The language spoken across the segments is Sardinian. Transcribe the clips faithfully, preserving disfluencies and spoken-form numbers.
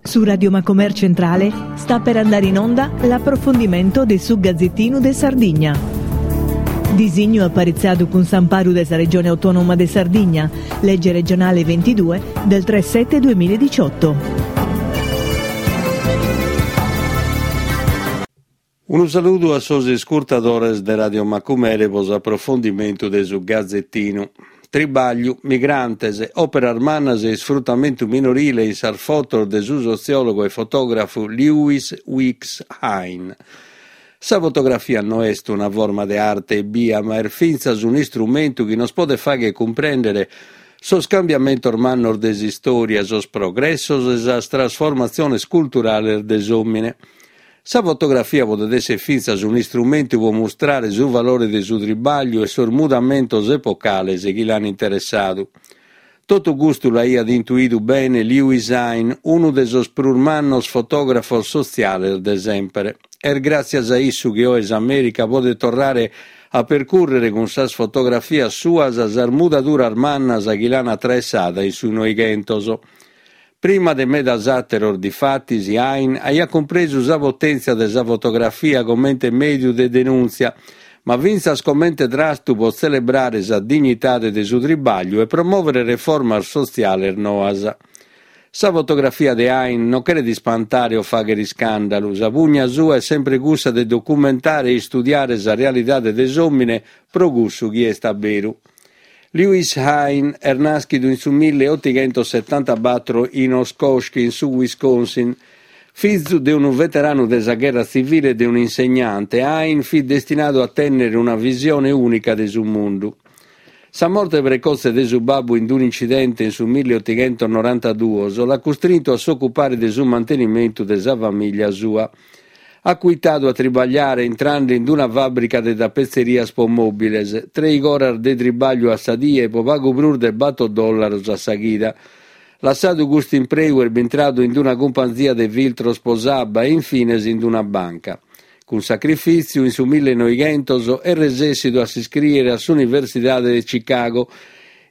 Su Radio Macomer Centrale sta per andare in onda l'approfondimento de su Gazzettinu de Sardigna. Disignu aparitzadu cun s'amparu de sa Regione Autonoma de Sardigna, legge regionale ventidue del tre sette duemiladiciotto. Unu saludu a sos iscurtadores de Radio Macumere pro s'aprofondimentu de su Gazzettinu. Tribagliu, migrantes, òperas mannas e isfrutamentu minorile in sas fotos de su sotziòlogu e fotògrafu Lewis Weeks Hine. Sa fotografia no est una forma de arte ebbia, ma est fintzas un'istrumentu chi nos podet fagher cumprèndere sos cambiamentos mannos de s'istòria, sos progressos e sas trasformatziones culturales de s'òmine. Sa fotografia podet èssere fintzas un'istrumentu pro mustrare su valore de su tribagliu e sos mudamentos epocales chi l'an interessadu. Totu custu l'aiat intuidu bene Lewis Hine, unu de sos prus mannos fotògrafos sotziales de sempre. Est gràtzias a issu chi oe s'Amèrica podet torrare a percùrrere cun sas fotografias suas sas mudaduras mannas chi l'an atraessada in su Noighentos. Prima de medas àteros, difatis, Hine aiat cumpresu sa potèntzia de sa fotografia comente mèdiu de denùntzia, ma fintzas comente trastu pro tzelebrare sa dignidade de su tribagliu e promòvere reformas sotziales noas. Sa fotografia de Hine non cheret ispantare o fàghere iscàndalu, sa pugna sua est sempre cussa de documentare e istudiare sa realidade de s'òmine pro cussu chi est a beru. Lewis Hine est nàschidu in su milleotighentosetantabatro in Oshkosh, in su Wisconsin. Fizu de unu veteranu de sa gherra tzivile e de un'insegnante, Hine fit destinadu a tènnere una visione ùnica de su mundu. Sa morte precotze de su babbu in un'incidente in su milleotighentonorantaduos l'at custrintu a s'ocupare de su mantenimentu de sa famìlia sua. At cuitadu a tribagliare intrande in una fàbrica de tapetzerias pro mòbiles, trèighi oras de tribagliu a sa die pro pagu prus de bator dòllaros a sa chida. Lassadu custu impreu est bintradu in una cumpanzia de filtros pro s'abba e infines in una banca. Cun sacrifìtziu, in su millenovighentos, est resessidu a s'iscrìere a s'Universidade de Chicago,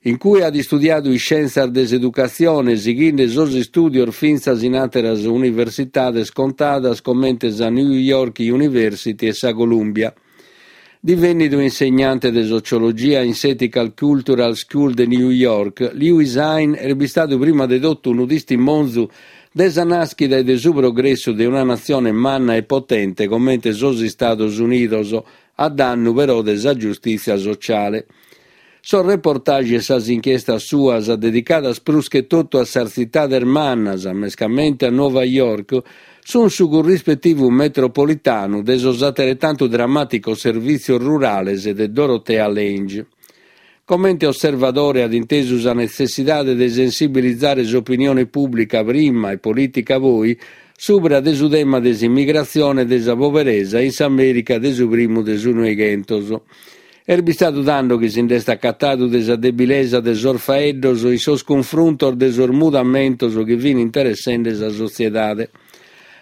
in cui at istudiadu iscièntzias de s'educatzione, sighende sos istùdios fintzas in àteras universidades contadas comente sa New York University e sa Columbia. Divenidu insegnante de sociologia in s'Ethical Cultural School de New York, Lewis Hine est bistadu prima de totu unu tistimonzu de sa nàschida e de su progressu de una natzione manna e potente comente sos Istados Unidos, a dannu però de sa giustìtzia sociale. Sos reportage e sas inchiestas suas, dedicadas prus che totu a sas tzitades mannas, mescamente a Nova York, sunt su currispetivu metropolitanu de sos ateretantu drammàticos servìtzios rurales de Dorothea Lange. Comente osservadore at intesu sa netzessidade de sensibilizare s'opinione pùblica prima e polìtica poi subra de su tema de s'immigratzione e de sa poberesa in s'Amèrica de su primu de su Noighentos. Est bistadu tando chi si nd'est acatadu de sa debilesa de sos faeddos in sos cunfruntos de sos mudamentos chi fin interessende sa sotziedade.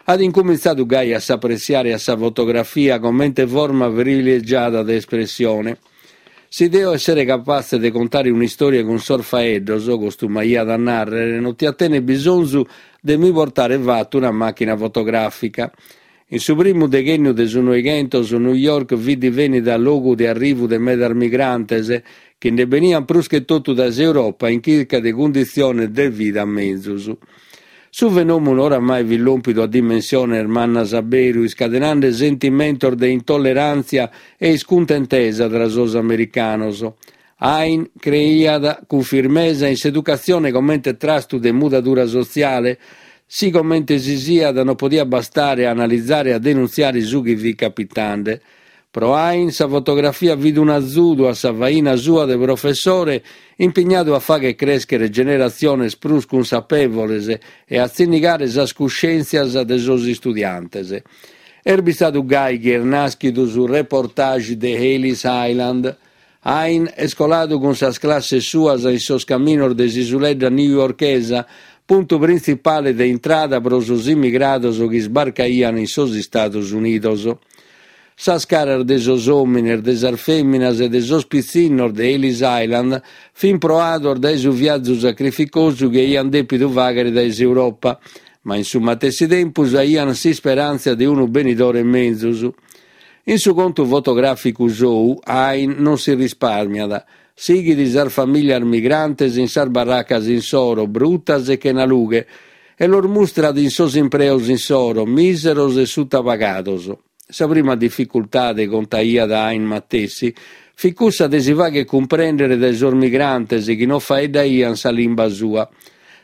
At incumintzadu gai a s'apressiare a sa fotografia comente forma privilegiada de espressione. Si deo essere capatze de contare un'istòria cun sos faeddos, costumaiat a nàrrere, non tia tènnere bisonzu de mi portare fatu una màchina fotogràfica. In su primu deghènniu de su Noighentos, New York fit divenida logu de arrivu de medas migrantes, chi nde beniant prus che totu dae s'Europa in chirca de cunditziones de vida menzus. Su fenòmenu oramai fit lòmpidu a dimensiones mannas a beru, iscadenande sentimentos de intolleràntzia e iscuntentesa tra sos americanos. Hine creiat cun firmesa in s'educatzione comente trastu de mudadura sotziale, si comente si siat non podiat bastare a analizare e a denuntziare su chi fit capitande. Pro Hine sa fotografia fit un'azudu a sa faina sua de professore impignadu a fagher crèschere generatziones prus cunsapèvoles e a tzinnigare sas cuscèntzias de sos istudiantes. Est bistadu gai chi est nàschidu su reportage de Ellis Island. Hine est coladu cun sas classes suas in sos caminos de s'isuledda newyorkesa, puntu printzipale de intrada pro sos immigrados chi isbarcaian in sos Istados Unidos. Sas caras de sos òmines, de sas fèminas e de sos pitzinnos de Ellis Island fin proados dae su viazu sacrificosu chi aian dèpidu fàghere dae s'Europa, Ma in su matessi tempus aian s'isperàntzia de unu benidore menzus. In su contu fotogràficu sou, Hine non si risparmiat. Sighit sas famìlias migrantes in sas barracas insoro, brutas e chena lughe, e los mustrat in sos impreos insoro, mìseros e sutapagados. Sa prima dificultade, contaiat Hine matessi, fit cussa de si fagher cumprèndere dae sos migrantes chi non faeddaian sa limba sua.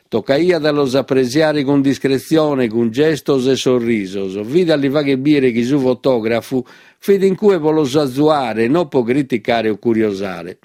Tocaiat a los apresiare cun discretzione, cun gestos e sorrisos. Fit a li fagher bìdere chi su fotògrafu fit in cue pro los azuare, non pro criticare o curiosare.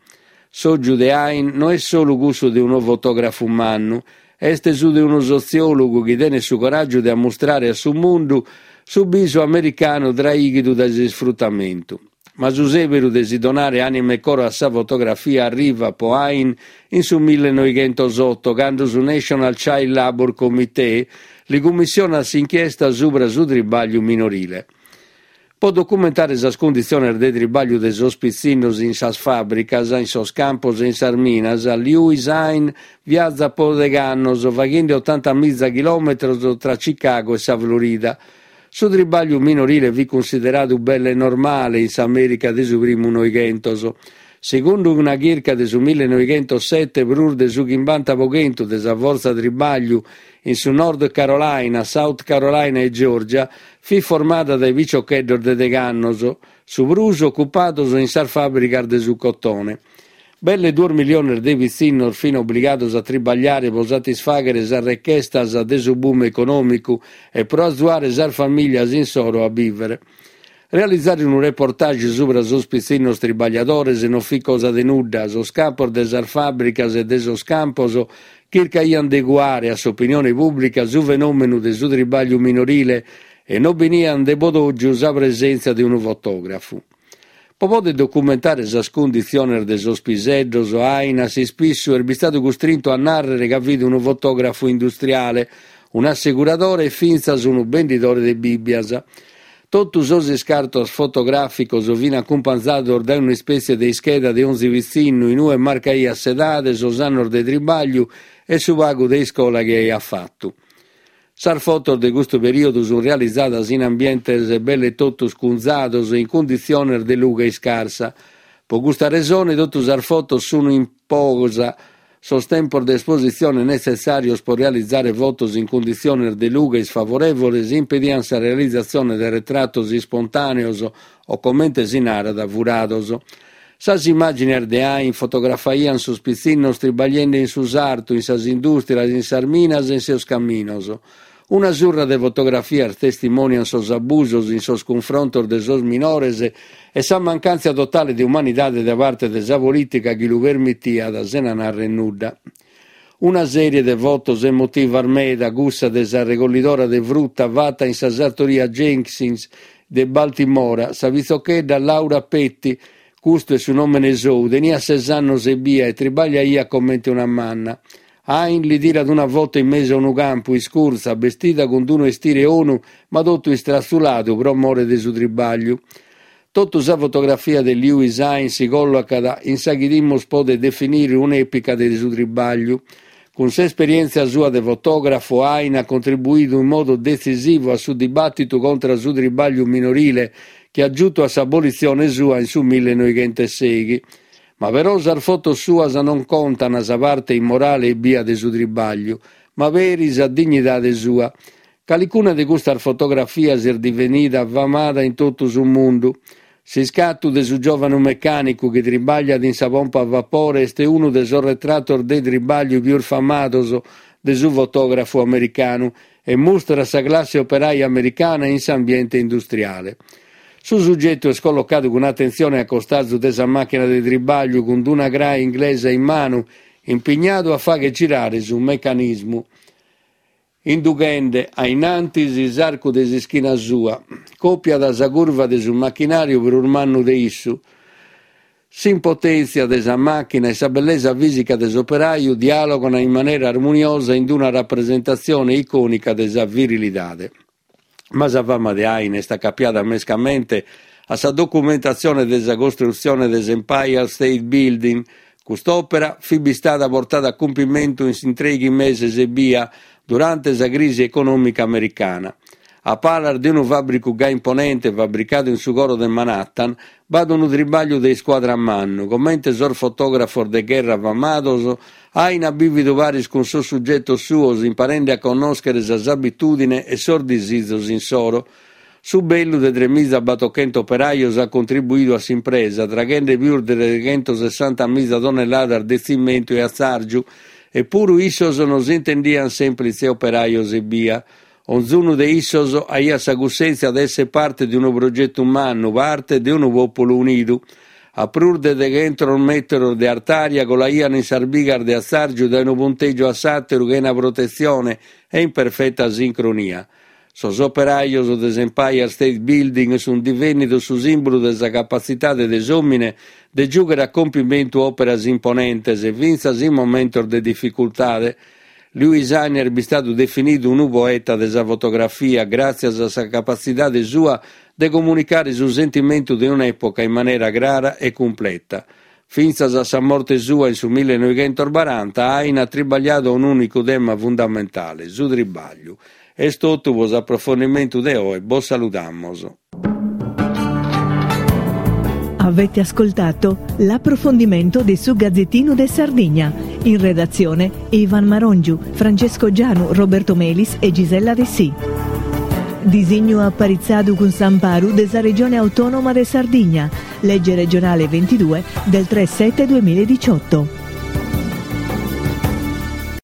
S'ògiu de Hine no est solu cussu de unu fotògrafu mannu, est su de unu sotziòlogu chi tenet su coràgiu de ammustrare a su mundu su bisu americanu traìghidu dae s'isfrutamentu. Ma su sèberu de si donare ànima e coro a sa fotografia arrivat pro Hine in su millenoighentosoto, cando su National Child Labor Committee li cummissionat s'inchiesta subra su tribagliu minorile. Pro documentare sas cunditziones de tribagliu de sos pitzinnos in sas fàbricas, in sos campos e in sas minas, Lewis Hine viazat pro deghe annos, faghende otanta miza chilòmetros tra Chicago e sa Florida. Su tribagliu minorile fit cunsideradu belle normale in s'Amèrica de su primu Noighentos. Segundu una chirca de su millenoighentosete, prus de su chimbanta pro chentu de sa fortza tribagliu in su Nord Carolina, South Carolina e Georgia fit formada dae piciocheddos de deghe annos, su prus ocupados in sas fàbricas de su cotone. Belle duos miliones de pitzinnos fin obligados a tribagliare pro satisfàghere sas rechestas de su boom econòmicu e pro azuare sas famìlias insoro a bìvere. Realizare unu reportage subra sos pitzinnos tribagliadores non fit cosa de nudda. Sos capos de sas fàbricas e de sos campos chircaian de cuare a s'opinione pùblica su fenòmenu de su tribagliu minorile e non benian de bodògiu sa presèntzia de unu fotògrafu. Pro poder documentare sas cunditziones de sos piseddos, Hine a s'ispissu est bistadu custrintu a nàrrere ca fit unu fotògrafu industriale, un'asseguradore e fintzas unu bendidore de Bìbbias. Totu sos iscartos fotogràficos fin acumpanzados dae un'ispètzie de ischeda de onzi pitzinnu in ue marcaiat s'edade, sos annos de tribagliu e su pagu de iscola chi aiat fatu. Sas fotos de custu perìodu sunt realizadas in ambientes belle totus cunzados e in cunditziones de lughe iscarsa. Pro custa resone totu sas fotos sunt in posa. Sos tempos de espositzione netzessàrios pro realizare fotos in cunditziones de lughe isfavorèvoles impedian sa realizatzione de retratos ispontàneos o, comente si narat, furados. Sas immàgines de Hine fotografaian sos pitzinnos tribagliende in su sartu, in sas indùstrias, in sas minas e in sos caminos. Una surra de fotografias testimònian sos abusos in sos cunfrontos de sos minores e sa mancàntzia totale de umanidade de parte de sa polìtica chi lu permitiat sena nàrrere nudda. Una sèrie de fotos emotivas meda, cussa de sa regollidora de fruta fata in sa sartoria Jenkins de Baltimora, sa pitzochedda Laura Petty, custu est su nòmene sou, teniat ses annos ebbia e tribagliaiat comente una manna. Hine li tirat una foto in mesu a unu campu, iscurtza, bestida cun unu estire onu, ma totu istratzuladu pro more de su tribagliu. Totu sa fotografia de Lewis Hine si collocat in sa chi dimus poder definire un'èpica de su tribagliu. Cun s'esperièntzia sua de fotògrafo, Hine at contribuidu in modu detzisivu a su dibàtitu contra su tribagliu minorile chi at giutu a s'abolitzione sua in su millenoighentosèighi. Ma però sas fotos suas non contan sa parte immorale ebbia de su tribagliu, ma peri sa dignidade sua. Calicuna de custas fotografias est divenida famada in totu su mundu. S'iscatu de su giòvanu mecànicu chi tribagliat in sa pompa a vapore est unu de sos retratos de tribagliu pius famados de su fotògrafu americanu e mustrat sa classe operaia americana in s'ambiente industriale. Su sugetu est collocadu cun atentzione a costazu de sa màchina de tribagliu cun una crae inglesa in manu, impignadu a fagher girare su mecanismu. Indughende a innantis s'arcu de s'ischina sua, còpiat sa curva de su machinàriu prus mannu de issu. S'impotèntzia de sa màchina e sa bellesa fìsica de s'operaju dialogano in manera armoniosa in una rapresentatzione icònica de sa virilidade. Ma sa fama de Hine est acapiada mescamente a sa documentatzione de sa costrutzione de s'Empire State Building. Cust'òpera fit bistada portada a cumpimentu in trèighi meses ebbia, durante sa crisi econòmica americana. A palas de unu fàbricu gai imponente fabricadu in su coro de Manhattan, b'at unu tribàgliu de iscuadra mannu, comente sos fotògrafos de gherra famados, Aina at bìvidu paris cun sos sugetos suos imparende a connòschere sas abitùdines e sos disizos insoro. Su bellu de tremiza battochento operajos at contribuidu a s'impresa, traghende pius de treghentosessanta miza tonnelladas de tzimentu e atzàrgiu, e puru issos non s'intendiant sèmplitze operajos ebbia. Onzunu de issos aiat sa cussèntzia de èssere parte de unu progetu mannu, parte de unu pòpulu unidu. A prus de deghentos metros de artària colaiant in sas bigas de atzàrgiu dae unu puntègiu a s'àteru chena protetzione e in perfeta sincronia. Sos operajos de s'Empire State Building sunt divènnidos su sìmbulu de sa capatzidade de s'òmine de giùghere a compimentu òperas imponentes, fintzas in momentos de dificultade. Louis Aina est bistadu definidu unu poeta de sa fotografia gràtzias a sa capatzidade sua de comunicare su sentimentu de un'època in manera crara e cumpleta. Fintzas a sa morte sua in su millenovichentos baranta, Aina at tribagliadu a un'ùnicu tema fundamentale, su tribagliu. Est totu pro s'aprofondimentu de oe, bos saludamos. Avete ascoltato l'approfondimento di Su Gazzettino de Sardigna. In redazione Ivan Marongiu, Francesco Gianu, Roberto Melis e Gisella Dessì. Disignu aparitzadu cun s'amparu de sa Regione Autonoma de Sardigna. Legge regionale ventidue del tre sette duemiladiciotto.